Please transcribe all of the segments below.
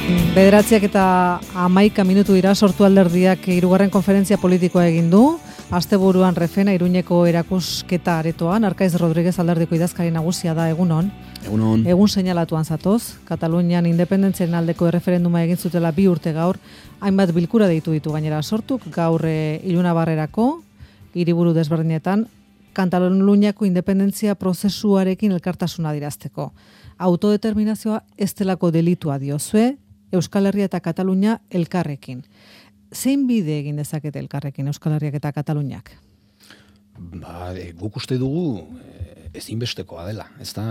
Bederatziak eta 11 minutu dira, sortu alderdiak 3. konferentzia politikoa egin du. Asteburuan Refena Iruñeko erakusketa aretoan, Arkaiz Rodriguez alderdiko idazkari nagusia da, egunon. Egunon. Egun seinalatuan zatoz, Katalunian independentziaren aldeko erreferenduma egin zutela 2 urte gaur, hainbat bilkura deitu ditu gainera sortuk, gaur Ilunabarrerako, hiriburu desberdinetan, Kataluniako independentzia prozesuarekin elkartasuna adierazteko. Autodeterminazioa ez delako delitua diozue, Euskal Herria eta Katalunia elkarrekin. Zein bide egin dezakete elkarrekin Euskal Herriak eta Kataluniak? Guk uste dugu ezinbestekoa dela, ezta?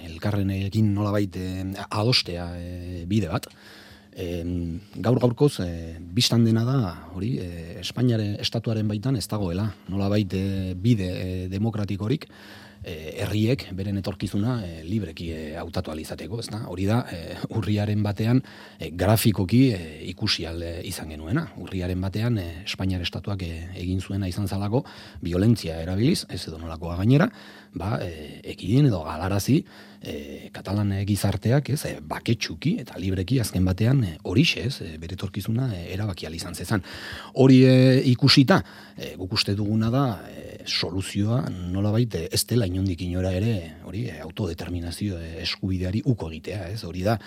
Elkarrenekin nolabait adostea bide bat. Gaur-gaurkoz bistan dena da, hori, Espainiaren estatuaren baitan ez dagoela, nolabait bide demokratikorik, herriek beren etorkizuna libreki hautatu ahal izateko, ezta? Hori da urriaren batean grafikoki ikusi ahal izan genuena. Urriaren batean Espainiar estatuak egin zuena izan zalako violentzia erabiliz, ez edo nolakoa gainera, ekidin edo galarazi Katalan gizarteak, ez, baketsuki eta libreki azken batean horixe, ez, bere etorkizuna erabaki ahal izan zezan. Hori ikusita, guk uste duguna da soluzioa nolabait ez dela inondik inora ere, hori, autodeterminazio eskubideari uko egitea, ez? Hori da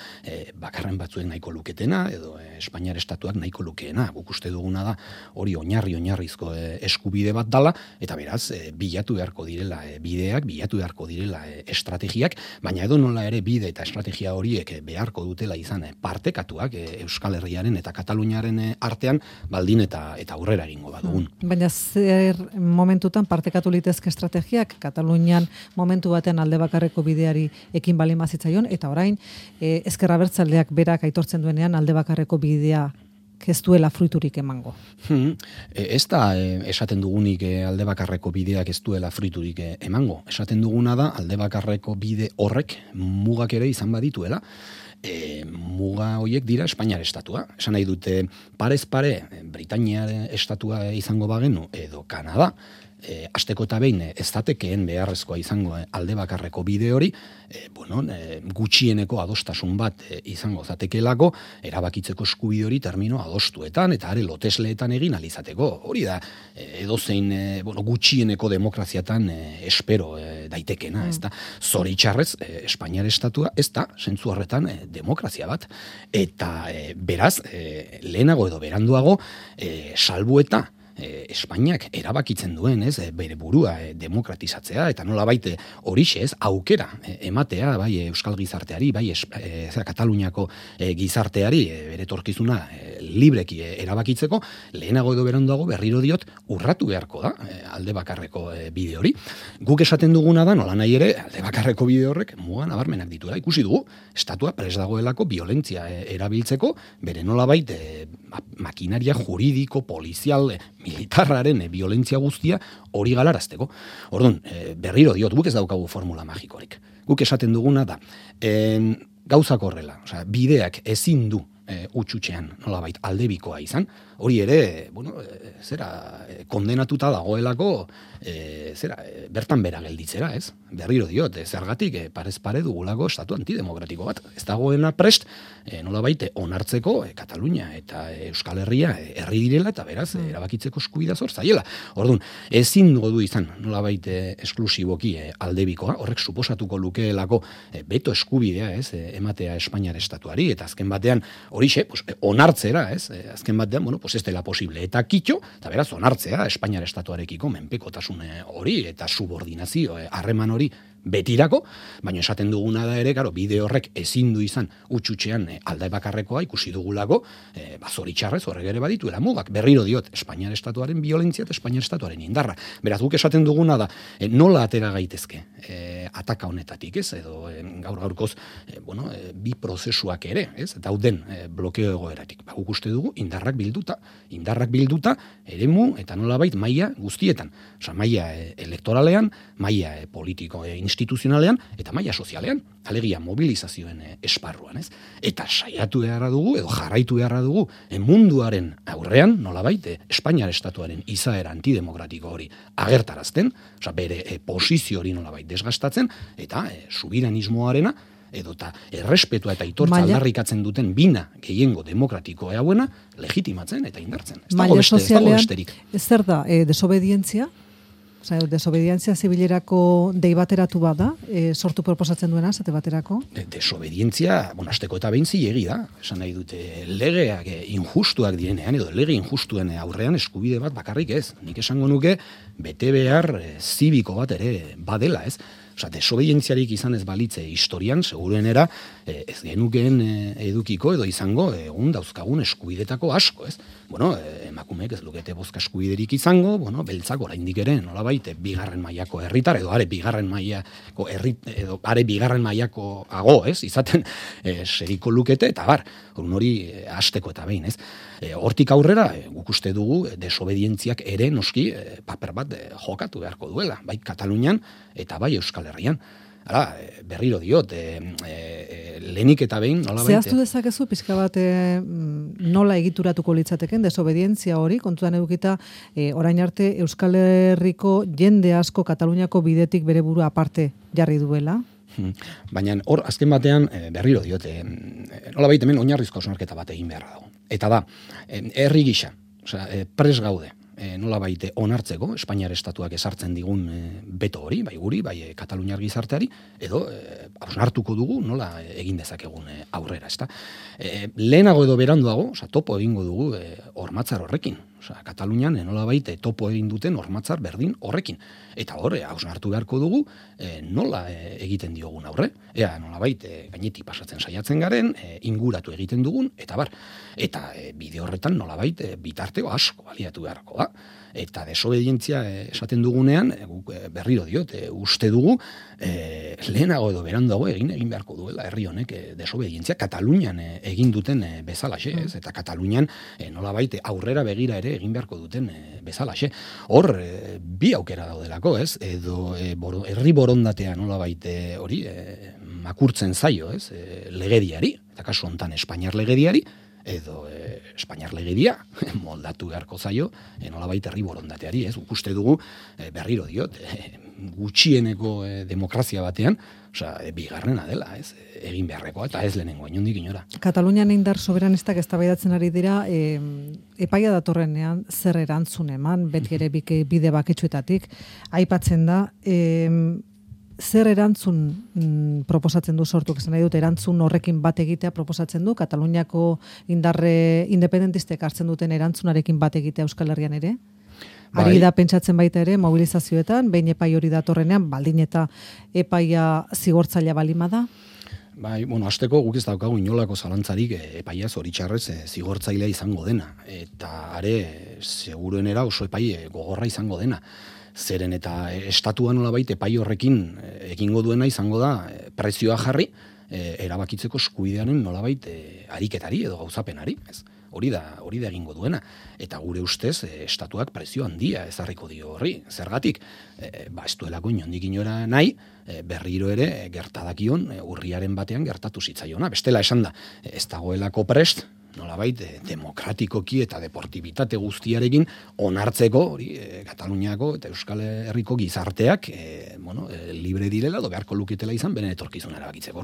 bakarren batzuek nahiko luketena edo Espainiar estatuak nahiko lukeena. Guk uste duguna da hori oinarrizko eskubide bat dala, eta beraz bilatu beharko direla bideak, bilatu beharko direla estrategiak, baina edo nola ere bide eta estrategia horiek beharko dutela izan partekatuak Euskal Herriaren eta Kataluniaren artean baldin eta aurrera egingo badugun. Baina zer momentutan partekatu litezke estrategiak, Katalunian momentu batean alde bakarreko bideari ekin bali mazitzaion, eta orain ezker abertzaleak berak aitortzen duenean alde bakarreko bidea ez duela fruiturik emango. Ez da esaten dugunik alde bakarreko bideak ez duela fruiturik emango. Esaten duguna da alde bakarreko bide horrek mugak ere izan badituela. Muga horiek dira Espainiar estatua. Esan nahi dute parez pare Britainiar estatua izango bagenu edo Kanada, asteko eta behin ez datekeen beharrezkoa izango alde bakarreko bide hori, gutxieneko adostasun bat izango zatekelako, erabakitzeko eskubide hori termino adostuetan eta are lotesleetan egin alizateko. Hori da edozein gutxieneko demokraziatan espero daitekena, ez da. Zoritxarrez, Espainiar estatua ez da, zentzu horretan, demokrazia bat. Eta beraz, lehenago edo beranduago, salbueta, Espainiak erabakitzen duen, ez, bere burua demokratizatzea eta nolabait horixe, ez, aukera ematea bai Euskal gizarteari, bai Kataluniako gizarteari bere etorkizuna libreki erabakitzeko, lehenago edo beranduago berriro diot urratu beharko da alde bakarreko bide hori. Guk esaten duguna da, nola nahi ere, alde bakarreko bide horrek muga nabarmenak dituela. Ikusi dugu, estatua prest dagoelako violentzia erabiltzeko, bere nolabait makinaria juridiko, polizial, militarraren violentzia guztia hori galarazteko. Orduan, berriro diot, guk ez daukagu formula magikorik. Guk esaten duguna da, gauzak horrela, bideak ezin du utxutxean nolabait aldebikoa izan, hori ere, kondenatuta dagoelako, bertan bera gelditzera, ez? Berriro diot, zergatik parez pare dugulako estatu antidemokratiko bat. Ez dagoena prest, nolabait onartzeko Katalunia eta Euskal Herria herri direla eta beraz erabakitzeko eskubidea zor zaiela. Orduan, ezin du izan nolabait esklusiboki aldebikoa, horrek suposatuko lukeelako beto eskubidea, ez, ematea Espainiar estatuari, eta azken batean horixe, onartzera, ez, azken batean, ez dela posible, eta kitxo, eta beraz onartzea Espainiar estatuarekiko menpekotasun hori, eta subordinazio, harreman hori betirako, baina esaten duguna da ere, bide horrek ezin du izan utxutxean alde bakarrekoa ikusi dugulako, zoritxarrez horrek ere badituela mugak. Berriro diot, Espainiar estatuaren violentzia eta Espainiar estatuaren indarra. Beraz, guk esaten duguna da, nola atera gaitezke ataka honetatik, ez, edo gaur-gaurkoz, bi prozesuak ere, ez, dauden blokeo egoeratik. Guk uste dugu, indarrak bilduta, eremu eta nolabait maila guztietan. Maila elektoralean, maila politiko instituzionalean eta maila sozialean, alegia mobilizazioen esparruan, ez? Eta saiatu beharra dugu, edo jarraitu beharra dugu, munduaren aurrean, nolabait, Espainiar estatuaren izaera antidemokratiko hori agertarazten, bere posizio hori nolabait desgastatzen, eta subiranismoarena edota errespetua eta aitortza aldarrikatzen duten bina gehiengo demokratiko hauena legitimatzen eta indartzen. Ez dago besterik. Ez zer da, desobedientzia? Osea, desobedientzia zibilerako dei bateratu bada, sortu proposatzen duena, zate baterako? Desobedientzia, hasteko eta behin zilegi da. Esan nahi dute, legeak injustuak direnean, edo lege injustuen aurrean eskubide bat bakarrik ez. Nik esango nuke, bete behar zibiko bat ere badela, ez? Osea, desobedientziarik izan ez balitze historian, seguruenera, ez genukeen edukiko edo izango egun dauzkagun eskubidetako asko, ez? Emakumeek ez lukete bozka eskubiderik izango, beltzak oraindik ere, nolabait, bigarren mailako herritar, edo are bigarren mailako ago, ez? Izaten seriko lukete, eta hori hasteko eta behin, ez? Hortik aurrera, guk uste dugu, desobedientziak ere noski paper bat jokatu beharko duela, bai Katalunian eta bai Euskal Herrian. Hala, berriro diot, lehenik eta behin, nola baita. Zehaztu dezakezu, pixka bat nola egituratuko litzateken, desobedientzia hori, kontuan edukita, orain arte Euskal Herriko jende asko Kataluniako bidetik bere burua aparte jarri duela? Baina hor, azken batean, berriro diot, nola baita hemen oinarrizko hausnarketa bat egin beharra dago. Eta da, herri gisa, pres gaude, nola baite onartzeko, Espainiar estatuak esartzen digun beto hori, bai guri, bai Kataluniar gizarteari, edo hausnartuko dugu nola egin dezakegun aurrera, ezta. Lehenago edo beranduago, topo egingo dugu hormatzar horrekin. Katalunian nola baite topo egin duten hormatzar berdin horrekin. Eta hor, hausnartu beharko dugu nola egiten diogun aurre. Ea, nola baite gainetik pasatzen saiatzen garen, inguratu egiten dugun, eta bar. Eta bide horretan nola baite bitarteo asko baliatu beharko da. Eta desobedientzia esaten dugunean, berriro diot, uste dugu, lehenago edo beranduago egin beharko duela herri honek desobedientzia Katalunian egin duten bezalaxe, ez? Eta Katalunian nolabait aurrera begira ere egin beharko duten bezalaxe. Hor, bi aukera daudelako, ez? Edo herri borondatea nolabait hori makurtzen zaio, ez? Legediari, eta kasu hontan Espainiar legediari, edo Espainiar legedia moldatu beharko zaio nolabait herri borondateari, ez? Uste dugu berriro diot gutxieneko demokrazia batean, bigarrena dela, ez? Egin beharrekoa eta ez lehenengo inondik inora. Katalunian indar soberanistak eztabaidatzen ari dira, epaia datorrenean zer erantzun eman, beti ere bide baketsuetatik aipatzen da, zer erantzun proposatzen du sortuk, esan nahi dut, erantzun horrekin bat egitea proposatzen du, Kataluniako indarre independentistek hartzen duten erantzunarekin bat egitea Euskal Herrian ere? Ari da pentsatzen baita ere, mobilizazioetan, behin epai hori datorrenean, baldin eta epaia zigortzailea balima da? Hasteko guk ez daukagu inolako zalantzarik epaia zoritxarrez zigortzailea izango dena. Eta are, seguruenera oso epai gogorra izango dena. Zeren eta estatua nolabait epai horrekin egingo duena izango da prezioa jarri erabakitzeko eskubidearen nolabait ariketari edo gauzapenari, ez? Hori da egingo duena. Eta gure ustez estatuak prezio handia ezarriko dio horri. Zergatik, ez duelako inondik inora nahi, berriro ere gertadakion urriaren batean gertatu zitzaiona. Bestela esan da, ez dagoelako prest, nolabait demokratikoki eta deportibitate guztiarekin onartzeko hori Kataluniako eta Euskal Herriko gizarteak libre direla edo beharko luketela izan beren etorkizuna erabakitzeko.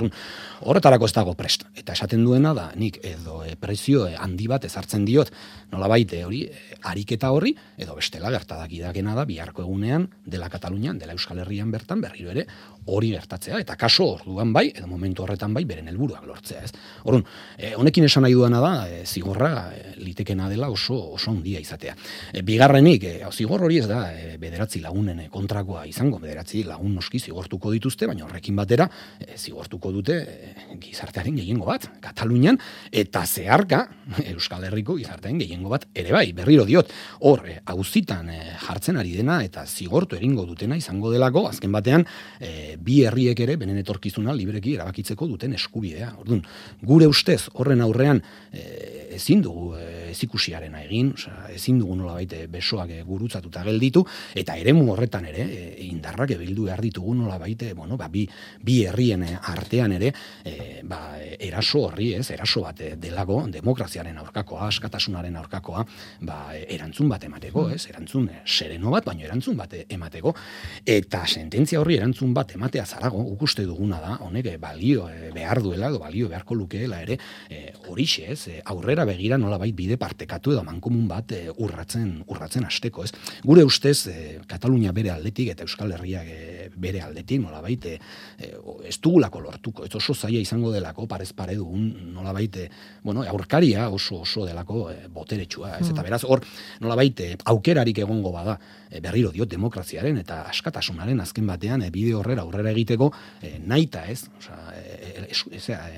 Horretarako ez dago prest. Eta esaten duena da nik edo prezio handi bat ezartzen diot nolabait hori ariketa horri edo bestela gertadakidakena da biharko egunean dela Katalunian, dela Euskal Herrian bertan berriro ere hori gertatzea eta kaso orduan bai edo momentu horretan bai beren helburuak lortzea, ez. Orrun, honekin esan nahi duana da zigorra litekena dela oso handia izatea. Bigarrenik, zigor hori ez da 9 lagunen kontrakoa izango, 9 lagun noski zigortuko dituzte, baina horrekin batera zigortuko dute gizartearen gehiengo bat, Katalunian, eta zeharka Euskal Herriko gizartearen gehiengo bat ere bai, berriro diot, hor auzitan jartzen ari dena eta zigortu egingo dutena izango delako, azken batean bi herriek ere benen etorkizuna libreki erabakitzeko duten eskubidea. Orduan, gure ustez horren aurrean ezin dugu ezikusiarena egin, ezin dugu nolabait besoak gurutzatuta gelditu, eta eremu horretan ere, indarrak bildu behar ditugu nolabait, bi herrien artean ere, eraso horri, eraso bat delago, demokraziaren aurkakoa, askatasunaren aurkakoa, erantzun bat emateko, erantzun sereno bat, baina erantzun bat emateko, eta sententzia horri erantzun bat ematea zarago, uste duguna da, honek balio behar duela, edo balio beharko lukeela ere, horixe, aurrera begira nolabait bide partekatu edo mankomun bat urratzen hasteko, Gure ustez, Katalunia bere aldetik eta Euskal Herriak bere aldetik nolabait ez dugulako lortuko, ez oso zaila izango delako parez pare dugun nolabait aurkaria oso delako boteretsua, eta beraz hor nolabait aukerarik egongo bada berriro diot demokraziaren eta askatasunaren azken batean bide horrera aurrera egiteko nahita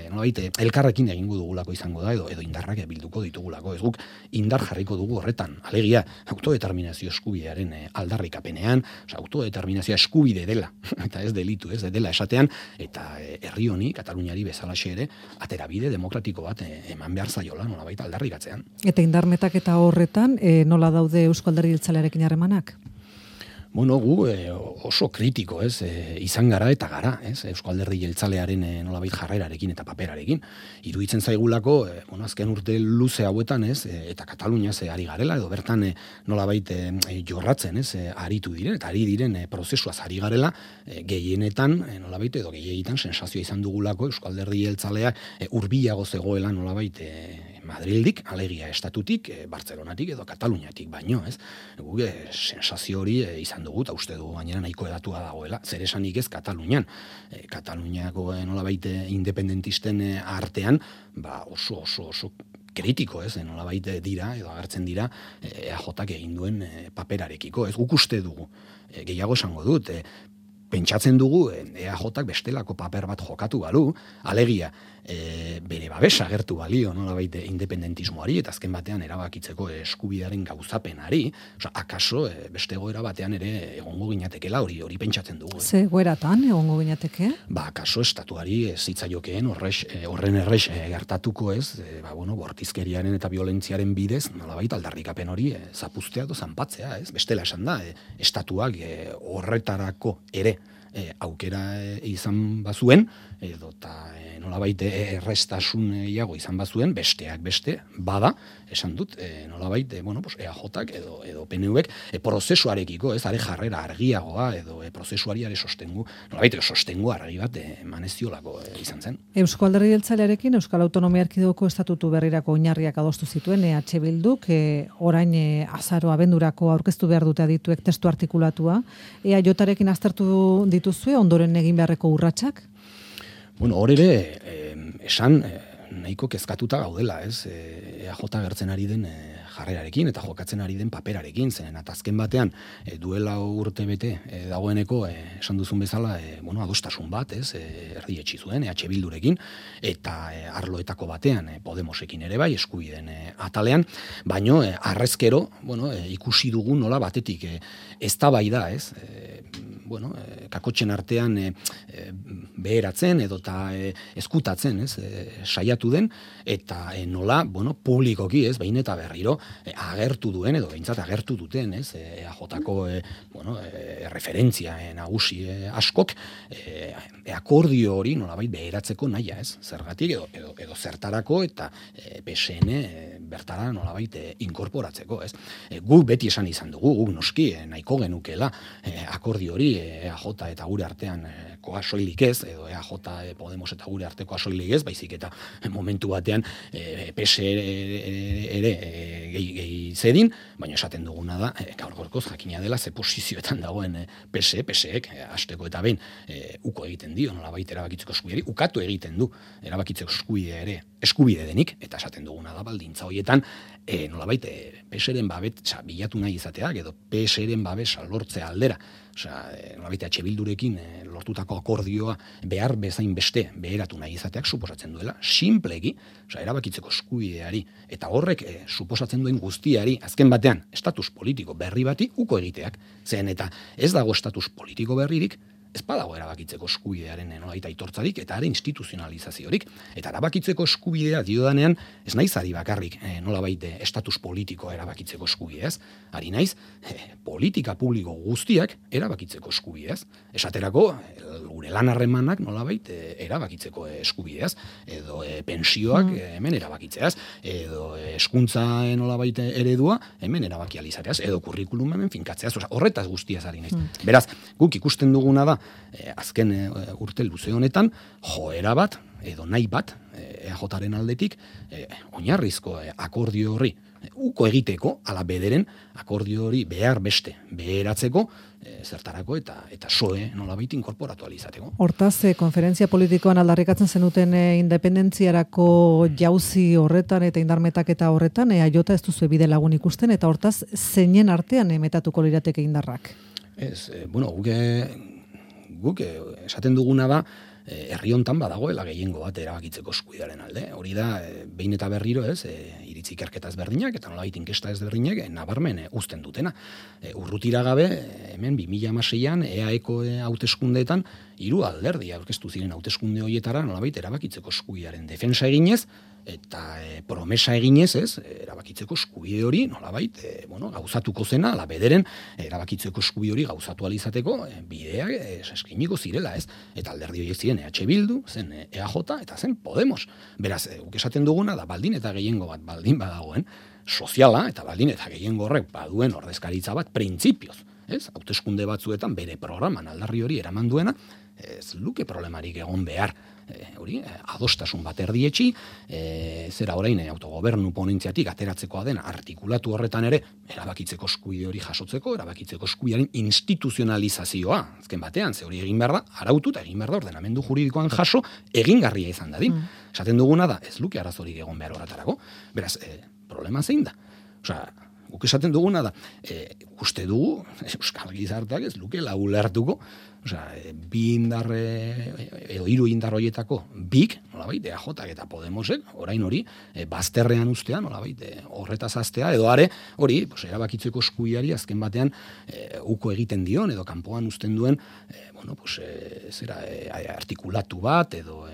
nolabait elkarrekin egingo dugulako izango da edo indarrak bilduko ditugulako, ez guk indar jarriko dugu horretan, alegia autodeterminazio eskubidearen aldarrikapenean, autodeterminazioa eskubide dela, eta ez delitu, ez dela esatean, eta herri honi, Kataluniari bezalaxe ere, aterabide demokratiko bat eman behar zaiola, nolabait aldarrikatzean. Eta indarmetak eta horretan, nola daude Eusko Alderdi Jeltzalearekin harremanak? Gu oso kritiko, izan gara eta gara, Eusko Alderdi Jeltzalearen nolabait jarrerarekin eta paperarekin. Iruditzen zaigulako, azken urte luze hauetan, eta Katalunia ari garela, edo bertan nolabait jorratzen, aritu diren, eta ari diren prozesuaz ari garela, gehienetan, nolabait, edo gehiegitan sensazioa izan dugulako Eusko Alderdi Jeltzalea hurbilago zegoela nolabait Madrildik, alegia estatutik, Bartzelonatik edo Kataluniatik baino, Guk sensazio hori izan dugu, eta uste dugu gainera nahiko edatua dagoela, zer esanik ez Katalunian. Kataluniako nolabait independentisten artean, oso kritiko, nolabait dira, edo agertzen dira, EAJak egin duen paperarekiko, guk uste dugu, gehiago esango dut, pentsatzen dugu EAJak bestelako paper bat jokatu balu, alegia, bere babesa agertu balio nolabait independentismoari eta azken batean erabakitzeko eskubidearen gauzapenari, akaso beste egoera batean ere egongo ginatekela hori pentsatzen dugu. Ze egoeratan egongo ginateke? Akaso estatuari zitzaiokeen horren errex gertatuko bortizkeriaren eta violentziaren bidez nolabait aldarrikapen hori zapuztea edo zanpatzea, bestela esan da, estatuak horretarako ere aukera izan bazuen, edo eta nolabait errestasun iago izan bazuen, besteak beste, bada, esan dut, nolabait, EAJak edo PNVek prozesuarekiko, are jarrera argiagoa, edo prozesuari are sostengu, nolabait, sostengu argi bat maneziolako izan zen. Eusko Alderdi Jeltzalearekin Euskal Autonomia Erkidegoko estatutu berrirako oinarriak adostu zituen, EH Bilduk, orain azaro abendurako aurkeztu behar dute adituek testu artikulatua, EAJarekin aztertu dituzue, ondoren egin beharreko urratsak? Hor ere, esan nahiko kezkatuta gaudela, EAJ gertzen ari den jarrerarekin eta jokatzen ari den paperarekin, zen eta azken batean duela urte bete dagoeneko esan duzun bezala adostasun bat, erdietsi zuen EH Bildurekin eta arloetako batean Podemosekin ere bai eskubideen atalean, baino harrezkero ikusi dugu nola batetik eztabaida, kakotxen artean beheratzen edo eta eskutatzen, saiatu den, eta nola, publikoki, behin eta berriro, agertu duen, edo behintzat agertu duten, EAJko referentzia nagusi askok, akordio hori nolabait beheratzeko nahia, zergatik, edo zertarako, eta PSN bertara nolabait inkorporatzeko, Guk beti esan izan dugu, guk noski nahiko genukela akordio hori EAJ eta gure artean koa soilik ez, edo EAJ Podemos eta gure arteko soilik ez, baizik eta momentu batean PS ere gehi zedin, baina esaten duguna da, gaur-gaurkoz jakina dela ze posizioetan dagoen PSek hasteko eta behin uko egiten dio, nolabait erabakitzeko eskubideari, ukatu egiten du erabakitzeko eskubidea ere eskubide denik, eta esaten duguna da baldintza horietan, nolabait PSren babetsa bilatu nahi izateak, edo PSren babesa lortzea aldera, nolabait EH Bildurekin lortutako akordioa behar bezain beste beheratu nahi izateak suposatzen duela, simplegi, erabakitzeko eskubideari, eta horrek suposatzen duen guztiari, azken batean, estatus politiko berri bati uko egiteak, zen eta ez dago estatus politiko berririk, ez badago erabakitzeko eskubidearen nolabait aitortzarik eta are instituzionalizaziorik. Eta erabakitzeko eskubidea diodanean Ez naiz ari bakarrik nolabait estatus politikoa erabakitzeko eskubidez, ari naiz politika publiko guztiak erabakitzeko eskubidez. Esaterako gure lan harremanak nolabait erabakitzeko eskubideaz, edo pensioak hemen erabakitzeaz, edo hezkuntza nolabait eredua hemen erabaki alizateaz, edo kurrikulum hemen finkatzeaz, horretaz guztiaz ari naiz. Beraz, guk ikusten duguna da, azken urte luze honetan, joera bat, edo nahi bat, EAJaren aldetik, oinarrizko akordio horri, uko egiteko, ala bederen, akordio hori behar beste, beheratzeko, zertarako eta soe nolabait inkorporatu alizateko. Hortaz, konferentzia politikoan aldarrikatzen zenuten independentziarako jauzi horretan eta indarmetaketa horretan, jota ez duzu bide lagun ikusten, eta hortaz, zeinen artean metatuko lirateke indarrak? Ez, guk esaten duguna da, herri hontan badagoela gehiengo bat erabakitzeko eskubidearen alde. Hori da, behin eta berriro iritzi ikerketa ezberdinak eta nolabait inkesta ezberdinak nabarmen uzten dutena. Urrutira gabe, hemen 2016an EAEko hauteskundeetan 3 alderdi aurkeztu ziren hauteskunde horietara nolabait erabakitzeko eskubidearen defensa eginez, eta promesa eginez, erabakitzeko eskubide hori nolabait gauzatuko zena, ala bederen erabakitzeko eskubide hori gauzatu alizateko bideak eskiniko zirela, eta alderdi horiek ziren EH Bildu, zen EAJ eta zen Podemos. Beraz, guk esaten duguna da baldin eta gehiengo bat baldin badagoen soziala, eta baldin eta gehiengo horrek baduen ordezkaritza bat printzipioz, hauteskunde batzuetan bere programan aldarri hori eraman duena, ez luke problemarik egon behar, hori, adostasun bat erdietxi, zera orain autogobernu ponentziatik ateratzekoa den artikulatu horretan ere, erabakitzeko eskubide hori jasotzeko, erabakitzeko eskubidearen instituzionalizazioa, azken batean, ze hori egin behar da, arautu eta egin behar da ordenamendu juridikoan jaso, egingarria izan dadin. Esaten duguna da, ez luke arazorik egon behar horretarako, beraz, problema zein da? Osea, guk esaten duguna da, uste dugu, Euskal Gizarteak ez lukela ulertuko, bi indarre, edo 3 indar horietako bik, nolabait, EAJak eta Podemosek, orain hori, bazterrean ustea, nolabait, horretaz aztea, edo are, hori, erabakitzeko eskubideari azken batean uko egiten dion, edo kanpoan uzten duen, artikulatu bat, edo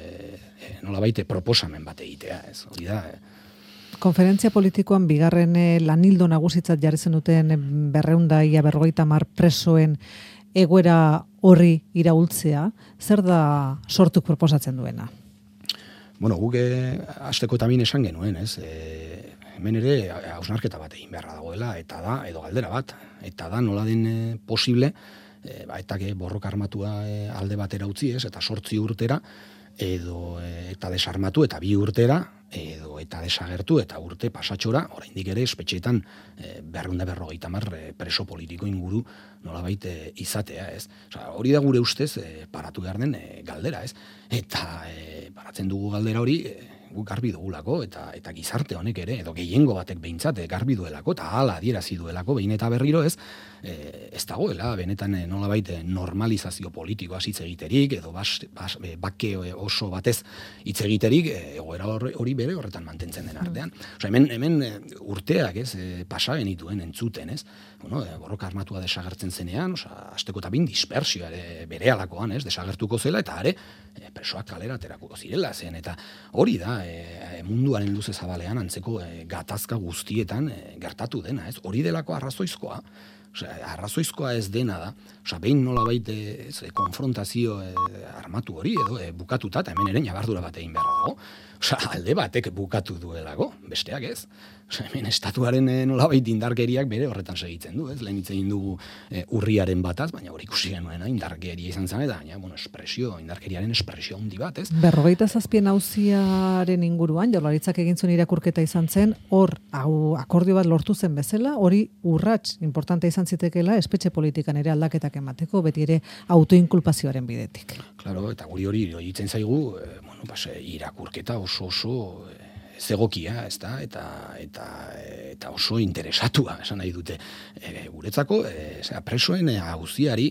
nolabait, proposamen bat egitea, ez, hori da, Konferentzia politikoan bigarren lanildo nagusitzat jarri zenuten 250 presoen egoera horri iraultzea, zer da sortuk proposatzen duena? Guk hasteko eta min esan genuen, hemen ere hausnarketa bat egin beharra dagoela, eta da, edo galdera bat, eta da nola den posible, eta borroka armatua alde batera utzi, eta 8 urtera, edo eta desarmatu eta 2 urtera, edo eta desagertu eta urte pasatxora, oraindik ere espetxeetan 250 preso politiko inguru nolabait izatea, ez? Hori da gure ustez paratu behar den galdera, ez? Eta paratzen dugu galdera hori guk garbi dugulako, eta gizarte honek ere, edo gehiengo batek behintzat garbi duelako, eta hala adierazi duelako, behin eta berriro ez dagoela, benetan nolabait normalizazio politikoaz hitz egiterik, edo bake oso batez hitz egiterik, egoera hori bere horretan mantentzen den artean. Hemen urteak pasa genituen entzuten, ez? Borroka armatua desagertzen zenean, hasteko eta dispersioa bere alakoan, desagertuko zela, eta are, presoak kalera aterako zirela zen, eta hori da, munduaren luze zabalean antzeko gatazka guztietan gertatu dena, ez? Hori delako arrazoizkoa, arrazoizkoa ez dena da, behin nolabait konfrontazio armatu hori, edo bukatuta, eta hemen ere ñabardura bat egin beharra dago, alde batek bukatu duelako, besteak ez. Hemen estatuaren nolabait indarkeriak bere horretan segitzen du, ez? Lehen hitz egin dugu urriaren bataz, baina hori ikusi genuena indarkeria izan zen, eta indarkeriaren espresio handi bat, ez? 57 auziaren inguruan, Jaurlaritzak egin zuen irakurketa izan zen, hor akordio bat lortu zen bezala, hori urrats importante izan zitekeela espetxe politikan ere aldaketak emateko, beti ere autoinkulpazioaren bidetik. Claro, eta hori itzen zaigu, irakurketa oso zegokia, ezta, eta oso interesatua, esan nahi dute. Guretzako, presoen auziari,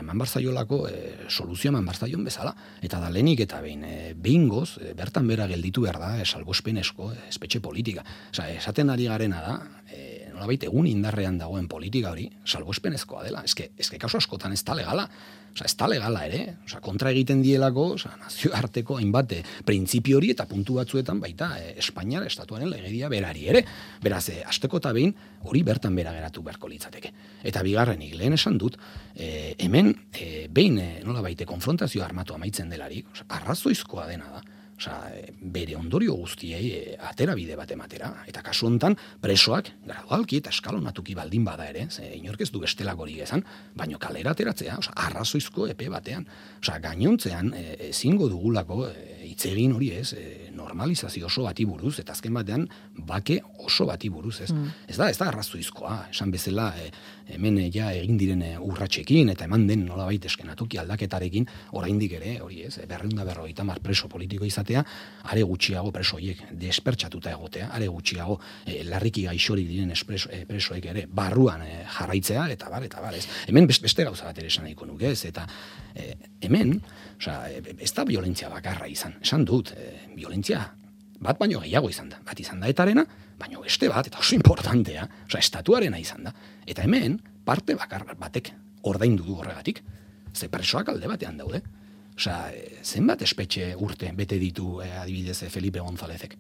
eman barzaiolako soluzioa eman barzaion bezala, eta da lehenik eta behingoz, bertan bera gelditu behar da, salbuespenezko espetxe politika. Esaten ari garena da, nolabait egun indarrean dagoen politika hori salbuespenezkoa dela. Eske kasu askotan ez da legala. Ez da legala ere, kontra egiten dielako, nazioarteko hainbat printzipio hori eta puntu batzuetan baita Espainiar estatuaren legedia berari ere. Beraz, hasteko eta behin hori bertan bera geratu beharko litzateke. Eta bigarrenik, lehen esan dut, hemen behin nolabait konfrontazio armatu amaitzen delarik, arrazoizkoa dena da. Bere ondorio guztiei atera bide bat ematera. Eta kasu hontan presoak gradualki eta eskalonatuki baldin bada ere, inork ez du bestelakorik esan, baino kalera ateratzea, arrazoizko epe batean. Gainontzean ezingo dugulako hitz egin hori ez, normalizazio oso bati buruz, eta azken batean bake oso bati buruz ez. Ez da arrazoizkoa, esan bezala hemen ja egin diren urratsekin eta eman den nolabait eskenatoki aldaketarekin oraindik ere, hori ez, 250 preso politiko izatea, are gutxiago preso horiek despertsatuta egotea, are gutxiago larriki gaixorik diren presoek ere barruan jarraitzea, eta bar, ez. Hemen beste gauza bat ere esan nahiko nuke ez, eta hemen, ez da violentzia bakarra izan. Esan dut, violentzia bat baino gehiago izan da. Bat izan da etarena, baino beste bat, eta oso importantea, estatuarena izan da. Eta hemen, parte bakar batek ordaindu du horregatik, ze presoak alde batean daude. Zenbat espetxe urte bete ditu adibidez Felipe Gonzálezek?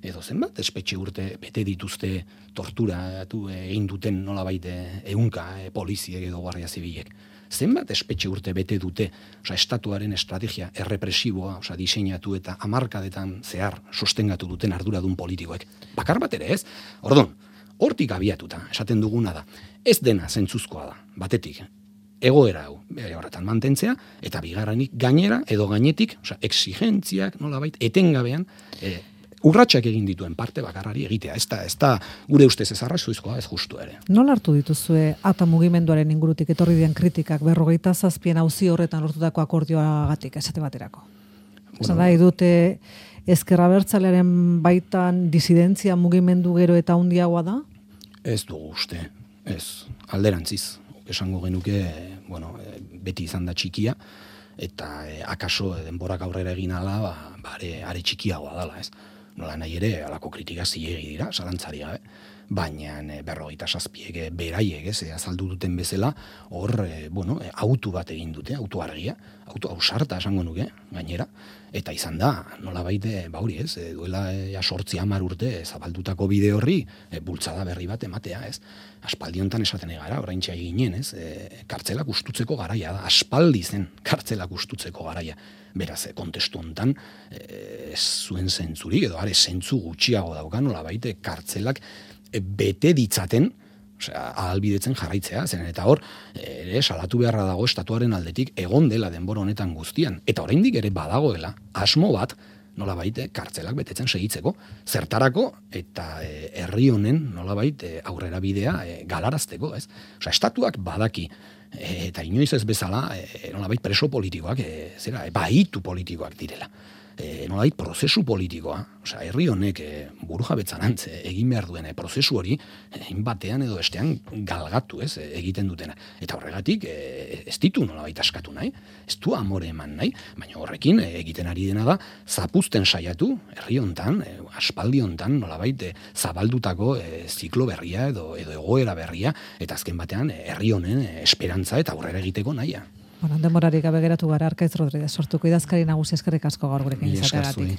Edo zenbat espetxe urte bete dituzte torturatu egin duten nolabait ehunka poliziek edo guardia zibilek? Zenbat espetxe urte bete dute estatuaren estrategia errepresiboa diseinatu eta hamarkadetan zehar sostengatu duten arduradun politikoek? Bakar bat ere ez? Orduan, hortik abiatuta esaten duguna da, ez dena zentzuzkoa da, batetik, egoera hau, horretan mantentzea, eta bigarrenik gainera edo gainetik, exigentziak nolabait etengabean urratsak egin dituen parte bakarrari egitea. Ez da gure ustez ez arrazoizkoa, ez justu ere. Nola hartu dituzue ata mugimenduaren ingurutik etorri diren kritikak 57 auzi horretan lortutako akordioagatik esate baterako? Esan da, dute ezker abertzalearen baitan disidentzia mugimendu gero eta handiagoa da? Ez dugu uste, ez. Alderantziz. Esango genuke, beti izan da txikia, eta akaso denborak aurrera egin ala, are txikiagoa dala, ez. Nola nahi ere, alako kritika zilegi dira, zalantzari gabe, baina 57 beraiek, azaldu duten bezala, hor, autu bat egin dute, autu argia, autu ausarta esango nuke, gainera, eta izan da, nolabait, hori ez, duela 8-10 urte zabaldutako bide horri, bultzada berri bat ematea, ez. Aspaldi hontan esaten egara, oraintxe ginen, ez, kartzelak ustutzeko garaia da, aspaldi zen kartzelak ustutzeko garaia. Beraz, kontestu hontan ez zuen zentzurik, edo are zentzu gutxiago dauka, nolabait, kartzelak bete ditzaten, ahalbidetzen jarraitzea, zenen eta hor, salatu beharra dago estatuaren aldetik egon dela denbora honetan guztian, eta oraindik ere badagoela asmo bat, nolabait, kartzelak betetzen segitzeko, zertarako eta herri honen nolabait aurrera bidea galarazteko, ez? Estatuak badaki, eta inoiz ez bezala, nolabait preso politikoak, bahitu politikoak direla. Nolabait prozesu politikoa, herri honek burujabetzarantz egin behar duen prozesu hori, batean edo bestean galgatu egiten dutena. Eta horregatik ez ditu nolabait askatu nahi, ez du amore eman nahi, baina horrekin egiten ari dena da, zapuzten saiatu, herri hontan, aspaldi hontan, nolabait zabaldutako ziklo berria edo egoera berria, eta azken batean herri honen esperantza eta aurrera egiteko nahia. Denborarik gabe geratu gara, Arkaitz Rodriguez sortuko idazkari nagusi, eskerrik asko gaur gurekin izateagatik.